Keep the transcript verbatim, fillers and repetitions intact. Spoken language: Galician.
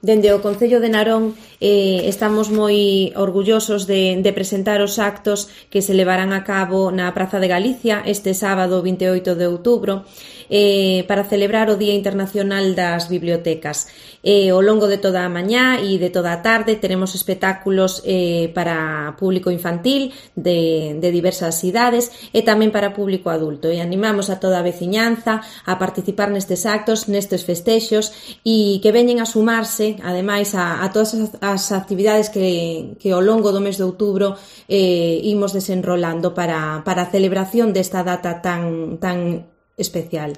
Dende o Concello de Narón eh, estamos moi orgullosos de, de presentar os actos que se levarán a cabo na Praza de Galicia este sábado vinte e oito de outubro eh, para celebrar o Día Internacional das Bibliotecas. Eh, ao longo de toda a mañá e de toda a tarde teremos espectáculos eh, para público infantil de, de diversas idades e tamén para público adulto. E animamos a toda a veciñanza a participar nestes actos, nestes festexos e que veñen a sumarse ademais a, a todas as actividades que, que ao longo do mes de outubro eh, imos desenrolando para, para a celebración desta data tan, tan especial.